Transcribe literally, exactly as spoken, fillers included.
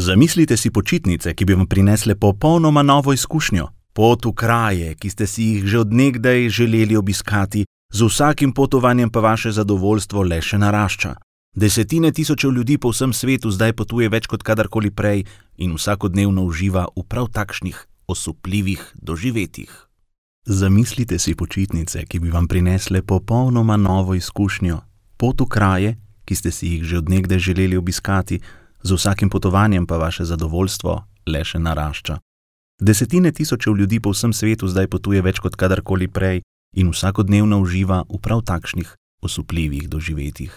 Zamislite si počitnice, ki bi vam prinesle popolnoma novo izkušnjo. Pot v kraje, ki ste si jih že od nekdaj želeli obiskati, z vsakim potovanjem pa vaše zadovoljstvo le še narašča. Desetine tisočev ljudi po vsem svetu zdaj potuje več kot kadarkoli prej in vsakodnevno uživa v prav takšnih osupljivih doživetjih. Zamislite si počitnice, ki bi vam prinesle popolnoma novo izkušnjo. Pot v kraje, ki ste si jih že od nekdaj želeli obiskati, z vsakim potovanjem pa vaše zadovoljstvo le še narašča. Desetine tisočev ljudi po vsem svetu zdaj potuje več kot kadarkoli prej in vsakodnevno uživa v prav takšnih osupljivih doživetjih.